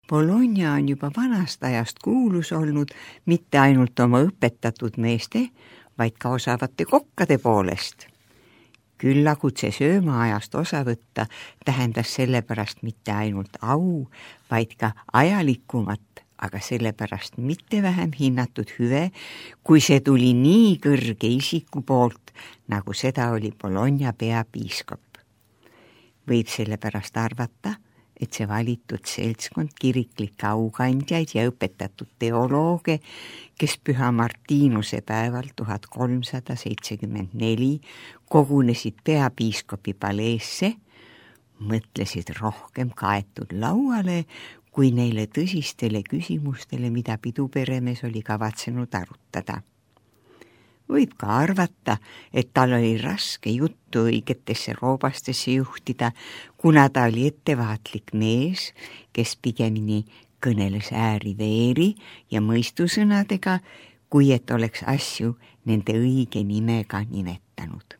Bologna on juba vanast ajast kuulus olnud mitte ainult oma õpetatud meeste, vaid ka osavate kokkade poolest. Küllakutse söömaajast osa võtta tähendas sellepärast mitte ainult au, vaid ka ajalikumat, aga sellepärast mitte vähem hinnatud hüve, kui see tuli nii kõrge isiku poolt, nagu seda oli Bologna peapiiskop. Võib sellepärast arvata, et see valitud seltskond kiriklikke aukandjaid ja õpetatud teolooge, kes Püha Martinuse päeval 1374 kogunesid peapiiskopi paleesse, mõtlesid rohkem kaetud lauale, kui neile tõsistele küsimustele, mida piduperemees oli kavatsenud arutada. Võib ka arvata, et tal oli raske juttu õigetesse roobastesse juhtida, kuna ta oli ettevaatlik mees, kes pigemini kõneles ääri-veeri ja mõistusõnadega, kui et oleks asju nende õige nimega nimetanud.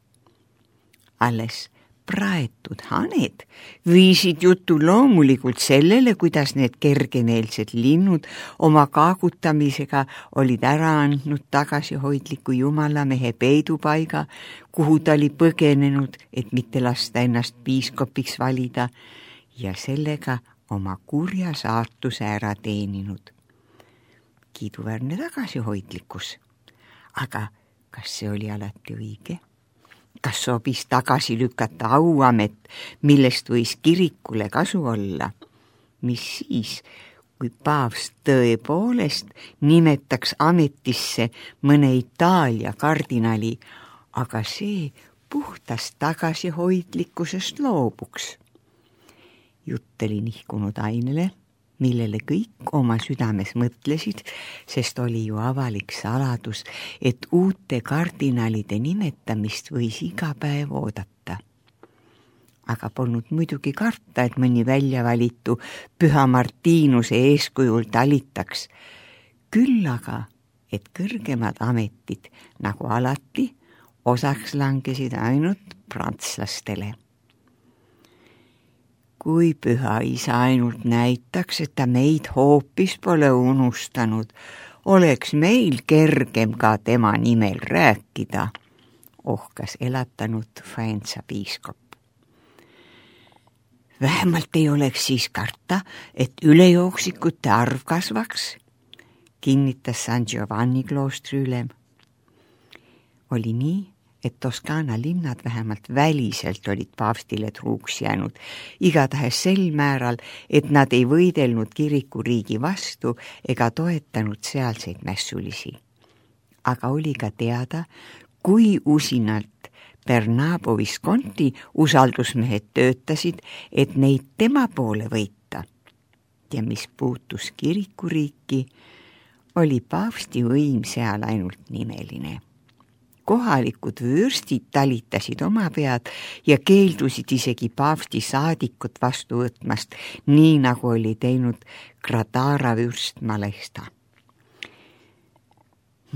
Alles praetud haned viisid jutu loomulikult sellele, kuidas need kergemeelsed linnud oma kaagutamisega olid ära andnud tagasihoidliku jumalamehe peidupaiga, kuhu ta oli põgenenud, et mitte lasta ennast piiskopiks valida ja sellega oma kurja saatuse ära teeninud. Kiiduväärne tagasihoidlikkus. Aga kas see oli alati õige? Kas sobis tagasi lükata auamet, millest võis kirikule kasu olla? Mis siis, kui paavst tõepoolest nimetaks ametisse mõne Itaalia kardinali, aga see puhtast tagasihoidlikkusest loobuks? Jutt oli nihkunud ainele, millele kõik oma südames mõtlesid, sest oli ju avalik saladus, et uute kardinalide nimetamist võis iga päev oodata. Aga polnud muidugi karta, et mõni väljavalitu Püha Martinuse eeskujul talitaks. Küll aga, et kõrgemad ametid, nagu alati, osaks langesid ainult prantslastele. Kui Püha Isa ainult näitaks, et ta meid hoopis pole unustanud, oleks meil kergem ka tema nimel rääkida, ohkas elatanud Faenza piiskop. Vähemalt ei oleks siis karta, et ülejookslikute arv kasvaks, kinnitas San Giovanni kloostri ülem. Oli nii, et Toskaana linnad vähemalt väliselt olid paavstile truuks jäänud, igatahes sel määral, et nad ei võidelnud kirikuriigi vastu ega toetanud sealseid mässulisi. Aga oli ka teada, kui usinalt Bernabo Visconti usaldusmehed töötasid, et neid tema poole võita. Ja mis puutus kirikuriiki, oli paavsti võim seal ainult nimeline. Kohalikud vürstid talitasid oma pead ja keeldusid isegi paavsti saadikut vastu võtmast, nii nagu oli teinud Gradara vürst Malesta.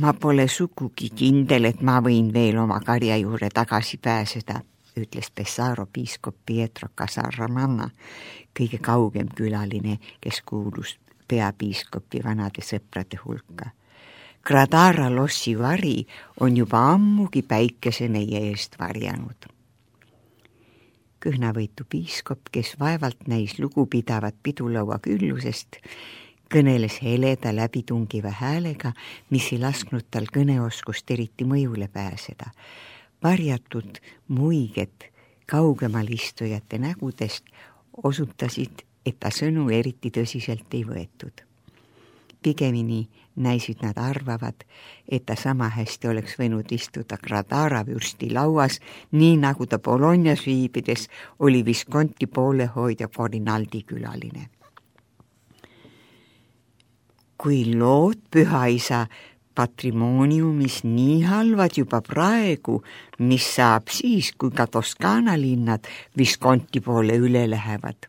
Ma pole sugugi kindel, et ma võin veel oma karja juurde tagasi pääseda, ütles Pesaro piiskop Pietro Casarramanna, kõige kaugem külaline, kes kuulus peapiiskopi vanade sõprade hulka. Gradara lossi vari on juba ammugi päikese meie eest varjanud. Kõhnavõitu piiskop, kes vaevalt näis lugupidavat pidulaua küllusest, kõneles heleda läbitungiva häälega, mis ei lasknud tal kõneoskust eriti mõjule pääseda. Varjatud muiged kaugemal istujate nägudest osutasid, et ta sõnu eriti tõsiselt ei võetud. Pigemini näisid nad arvavad, et ta sama hästi oleks võinud istuda Gradara vürsti lauas, nii nagu ta Bolognas viibides oli Visconti poolehoidja Corinaldi külaline. Kui lood Püha Isa patrimooniumis nii halvad juba praegu, mis saab siis, kui ka Toskaana linnad Visconti poole üle lähevad,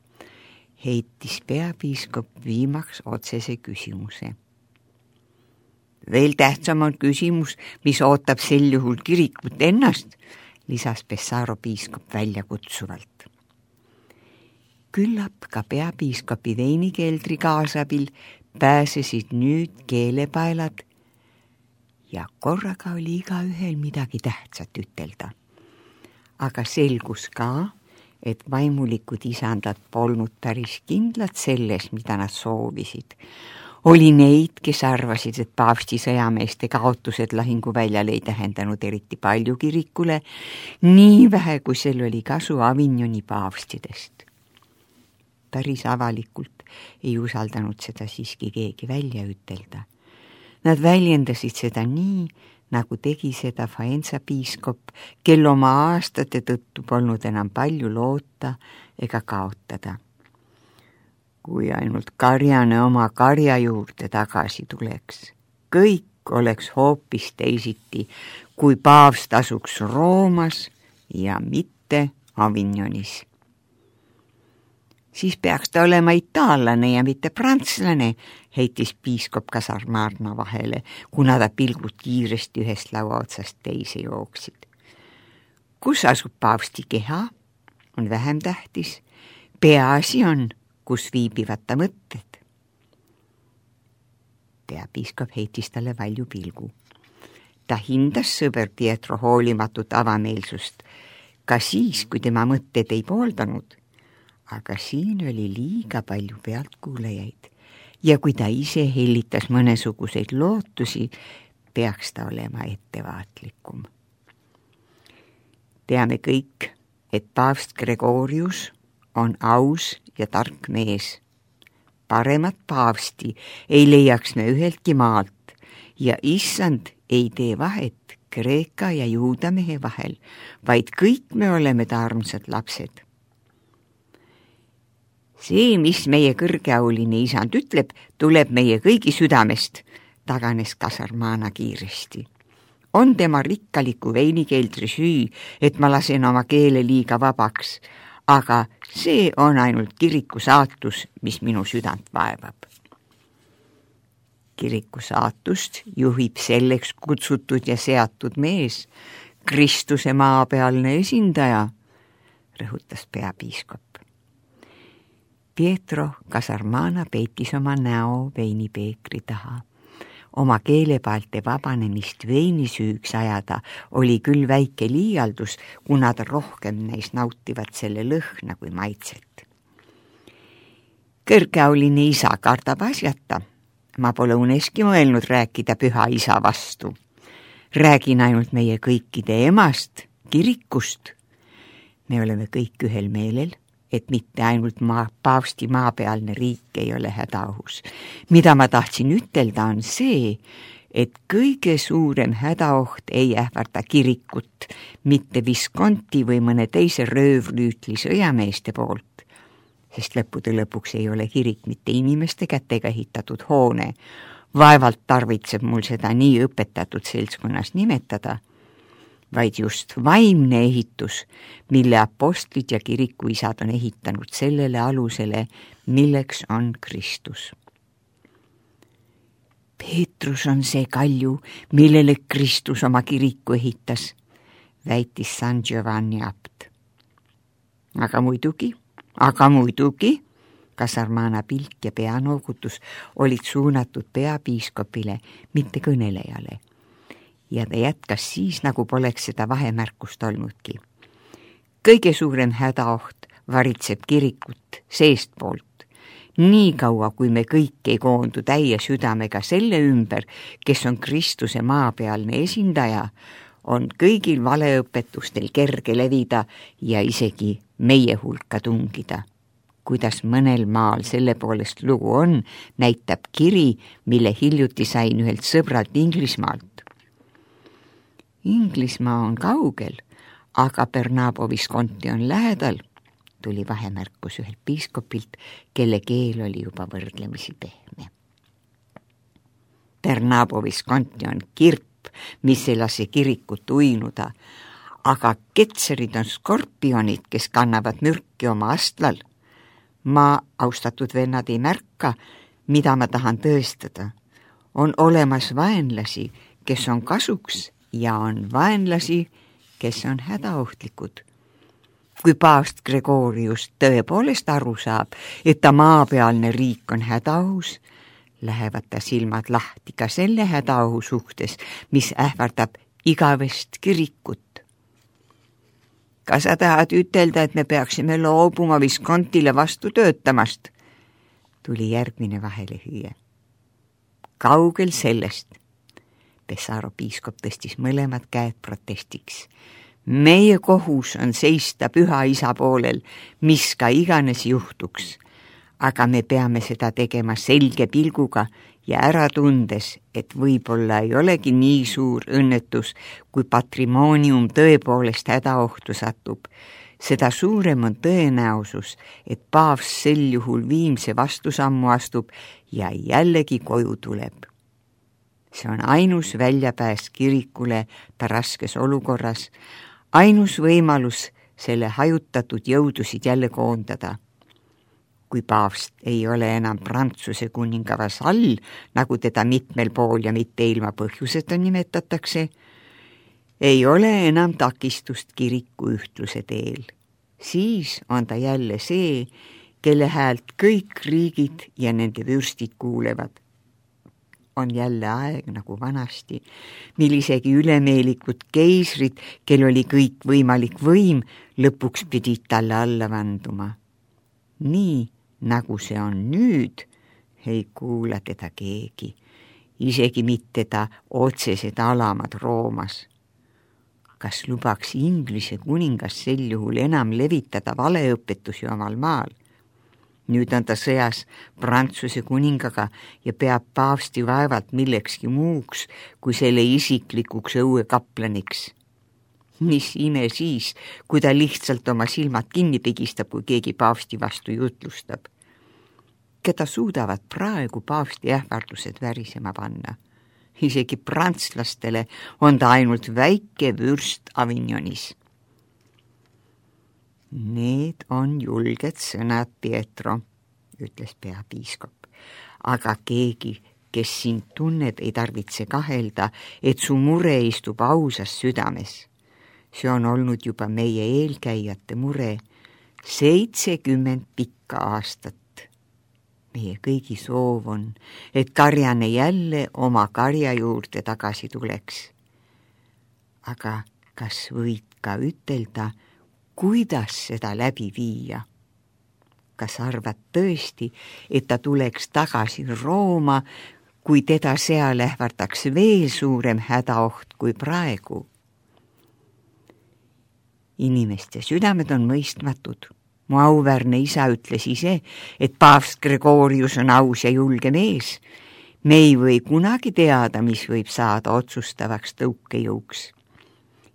heitis peapiiskop viimaks otsese küsimuse. Veel tähtsam on küsimus, mis ootab sel juhul kirikut ennast, lisas Pesaro piiskop väljakutsuvalt. Küllap ka peapiiskopi veinikeldri kaasabil pääsesid nüüd keelepaelad ja korraga oli igaühel midagi tähtsat ütelda. Aga selgus ka, et vaimulikud isandad polnud päris kindlad selles, mida nad soovisid. Oli neid, kes arvasid, et paavsti sõjameeste kaotused lahinguväljal ei tähendanud eriti palju kirikule, nii vähe, kui sel oli kasu Avignoni paavstidest. Päris avalikult ei usaldanud seda siiski keegi välja ütelda. Nad väljendasid seda nii, nagu tegi seda Faenza piiskop, kel oma aastate tõttu polnud enam palju loota ega kaotada. Kui ainult karjane oma karja juurde tagasi tuleks, kõik oleks hoopis teisiti, kui paavst asuks Roomas ja mitte Avignonis. Siis peaks ta olema itaallane ja mitte prantslane, heitis piiskop Kasarmarna vahele, kuna ta pilgud kiiresti ühest laua otsast teise jooksid. Kus asub paavsti keha, on vähem tähtis. Peaasi on, kus viibivad ta mõtted. Peapiiskop heitis talle valju pilgu. Ta hindas sõber Pietro hoolimatut avameelsust, ka siis, kui tema mõtted ei pooldanud. Aga siin oli liiga palju pealtkuulajaid ja kui ta ise hellitas mõnesuguseid lootusi, peaks ta olema ettevaatlikum. Teame kõik, et paavst Gregorius on aus ja tark mees. Paremat paavsti ei leiaks me üheltki maalt ja issand ei tee vahet Kreeka ja juuda mehe vahel, vaid kõik me oleme ta armsad lapsed. See, mis meie kõrgeauline isand ütleb, tuleb meie kõigi südamest, taganes Kasarmana kiiresti. On tema rikkaliku veinikeldri süü, et ma lasen oma keele liiga vabaks, aga see on ainult kiriku saatus, mis minu südant vaevab. Kiriku saatust juhib selleks kutsutud ja seatud mees, Kristuse maapealne esindaja, rõhutas peapiiskop. Pietro Kasarmana peitis oma näo veinipeekri taha. Oma keelepaalte vabanemist veinisüüks ajada oli küll väike liialdus, kuna ta rohkem neis nautivad selle lõhna kui maitset. Kõrgeauline isa kardab asjata. Ma pole uneski mõelnud rääkida püha isa vastu. Räägin ainult meie kõikide emast, kirikust. Me oleme kõik ühel meelel, et mitte ainult paavsti maapealne riik ei ole hädaohus. Mida ma tahtsin ütelda on see, et kõige suurem hädaoht ei ähvarda kirikut, mitte Visconti või mõne teise röövlüütli sõjameeste poolt, sest lõppude lõpuks ei ole kirik mitte inimeste kätega ehitatud hoone. Vaevalt tarvitseb mul seda nii õpetatud seltskonnas nimetada, vaid just vaimne ehitus, mille apostlid ja kirikuisad on ehitanud sellele alusele, milleks on Kristus. Peetrus on see kalju, millele Kristus oma kiriku ehitas, väitis San Giovanni abt. Aga muidugi, Kasarmana pilk ja peanoogutus olid suunatud peapiiskopile, mitte kõnelejale. Ja ta jätkas siis, nagu poleks seda vahemärkust olnudki. Kõige suurem hädaoht varitseb kirikut seestpoolt. Nii kaua, kui me kõik ei koondu täie südamega selle ümber, kes on Kristuse maapealne esindaja, on kõigil valeõpetustel kerge levida ja isegi meie hulka tungida. Kuidas mõnel maal selle poolest lugu on, näitab kiri, mille hiljuti sain ühelt sõbralt Inglismaalt. Inglismaa on kaugel, aga Bernabo Visconti on lähedal, tuli vahemärkus ühelt piiskopilt, kelle keel oli juba võrdlemisi pehme. Bernabo Visconti on kirp, mis ei lase kirikut uinuda, aga ketserid on skorpionid, kes kannavad mürki oma astlal. Ma, austatud vennad, ei märka, mida ma tahan tõestada. On olemas vaenlasi, kes on kasuks, ja on vaenlasi, kes on hädaohtlikud. Kui paavst Gregorius tõepoolest aru saab, et ta maapealne riik on hädaohus, lähevad ta silmad lahti ka selle hädaohu suhtes, mis ähvardab igavest kirikut. Kas sa tahad ütelda, et me peaksime loobuma Viscontile vastu töötamast? Tuli järgmine vahelehüüe. Kaugel sellest. Pesaro piiskop tõstis mõlemad käed protestiks. Meie kohus on seista püha isa poolel, mis ka iganes juhtuks. Aga me peame seda tegema selge pilguga ja ära tundes, et võib-olla ei olegi nii suur õnnetus, kui patrimoonium tõepoolest hädaohtu satub. Seda suurem on tõenäosus, et paavs sel juhul viimse vastusammu astub ja jällegi koju tuleb. See on ainus väljapääs kirikule ta raskes olukorras, ainus võimalus selle hajutatud jõudusid jälle koondada. Kui paavst ei ole enam Prantsuse kuninga vasall, nagu teda mitmel pool ja mitte ilma põhjuseta nimetatakse, ei ole enam takistust kiriku ühtluse teel. Siis on ta jälle see, kelle häält kõik riigid ja nende vürstid kuulevad. On jälle aeg nagu vanasti, mil isegi ülemeelikud keisrid, kel oli kõik võimalik võim, lõpuks pidid talle alla vanduma. Nii nagu see on nüüd, ei kuula teda keegi, isegi mitte ta otsesed alamad Roomas. Kas lubaks Inglise kuningas sel juhul enam levitada valeõpetusi omal maal? Nüüd on ta sõjas Prantsuse kuningaga ja peab paavsti vaevalt millekski muuks kui selle isiklikuks õuekaplaniks. Mis ime siis, kui ta lihtsalt oma silmad kinni pigistab, kui keegi paavsti vastu jutlustab. Keda suudavad praegu paavsti ähvardused värisema panna? Isegi prantslastele on ta ainult väike vürst Avignonis. Need on julged sõnad, Pietro, ütles peapiiskop, aga keegi, kes sind tunneb, ei tarvitse kahelda, et su mure istub ausas südames. See on olnud juba meie eelkäijate mure 70 pikka aastat. Meie kõigi soov on, et karjane jälle oma karja juurde tagasi tuleks. Aga kas võid ka ütelda, kuidas seda läbi viia? Kas arvad tõesti, et ta tuleks tagasi Rooma, kui teda seal ähvardaks veel suurem hädaoht kui praegu? Inimeste südamed on mõistmatud. Mu auväärne isa ütles ise, et paavst Gregorius on aus ja julge mees. Me ei või kunagi teada, mis võib saada otsustavaks tõukejõuks.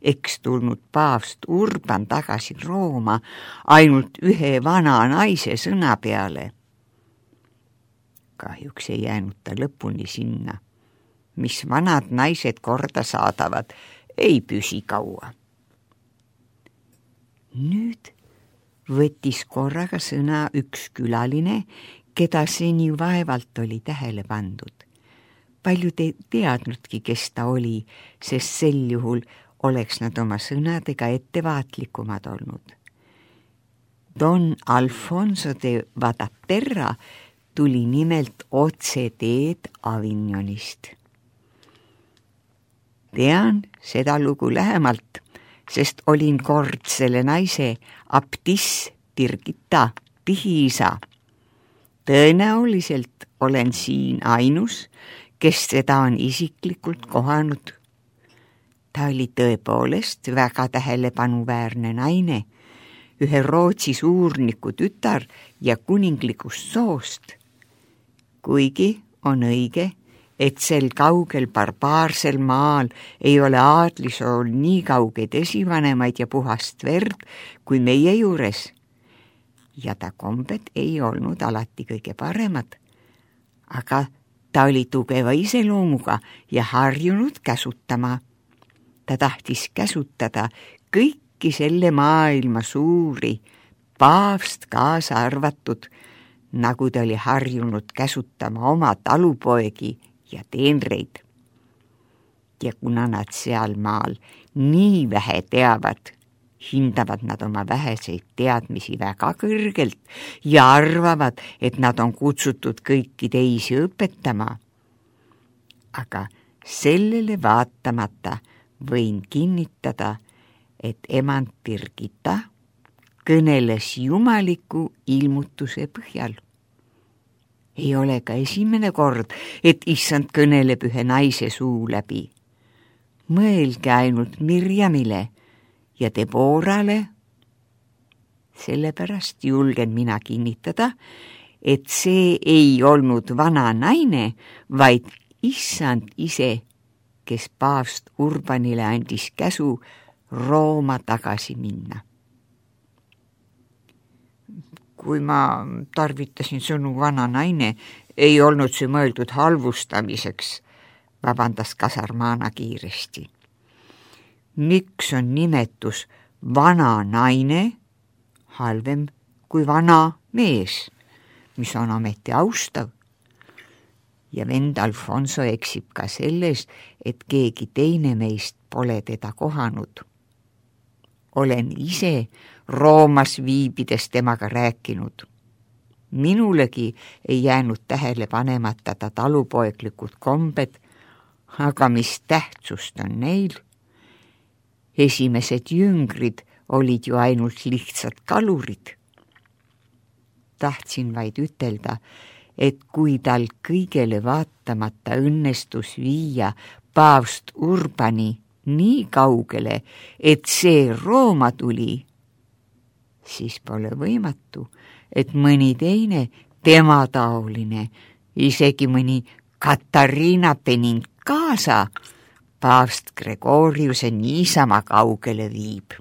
Eks tulnud paavst Urban tagasi Rooma ainult ühe vana naise sõna peale. Kahjuks ei jäänud ta lõpuni sinna. Mis vanad naised korda saadavad, ei püsi kaua. Nüüd võttis korraga sõna üks külaline, keda seni vaevalt oli tähele pandud. Paljud ei teadnudki, kes ta oli, sest sel juhul oleks nad oma sõnadega ettevaatlikumad olnud. Don Alfonso de Vadaterra tuli nimelt otse teed Avignonist. Tean seda lugu lähemalt, sest olin kord selle naise abtiss Birgitta pihiisa. Tõenäoliselt olen siin ainus, kes seda on isiklikult kohanud. Ta oli tõepoolest väga tähelepanuväärne naine, ühe Rootsi suurniku tütar ja kuninglikust soost. Kuigi on õige, et sel kaugel barbaarsel maal ei ole aadlisool nii kaugeid esivanemaid ja puhast verd kui meie juures. Ja ta kombed ei olnud alati kõige paremad, aga ta oli tugeva iseloomuga ja harjunud käsutama. Ta tahtis käsutada kõiki selle maailma suuri, paavst kaasa arvatud, nagu ta oli harjunud käsutama oma talupoegi ja teenreid. Ja kuna nad seal maal nii vähe teavad, hindavad nad oma väheseid teadmisi väga kõrgelt ja arvavad, et nad on kutsutud kõiki teisi õpetama. Aga sellele vaatamata võin kinnitada, et emand Birgitta kõneles jumaliku ilmutuse põhjal. Ei ole ka esimene kord, et issand kõneleb ühe naise suu läbi. Mõelge ainult Mirjamile ja Deborale. Sellepärast julgen mina kinnitada, et see ei olnud vana naine, vaid issand ise, kes paavst Urbanile andis käsu Rooma tagasi minna. Kui ma tarvitasin sõnu vana naine, ei olnud see mõeldud halvustamiseks, vabandas Kasarmana kiiresti. Miks on nimetus vana naine halvem kui vana mees, mis on ameti austav? Ja vend Alfonso eksib ka selles, et keegi teine meist pole teda kohanud. Olen ise Roomas viibides temaga rääkinud. Minulegi ei jäänud tähele panemata ta talupoeglikud kombed, aga mis tähtsust on neil? Esimesed jüngrid olid ju ainult lihtsad kalurid. Tahtsin vaid ütelda, et kui tal kõigele vaatamata õnnestus viia paavst Urbani nii kaugele, et see Rooma tuli, siis pole võimatu, et mõni teine temataoline, isegi mõni Katariina Benincasa paavst Gregoriuse niisama kaugele viib.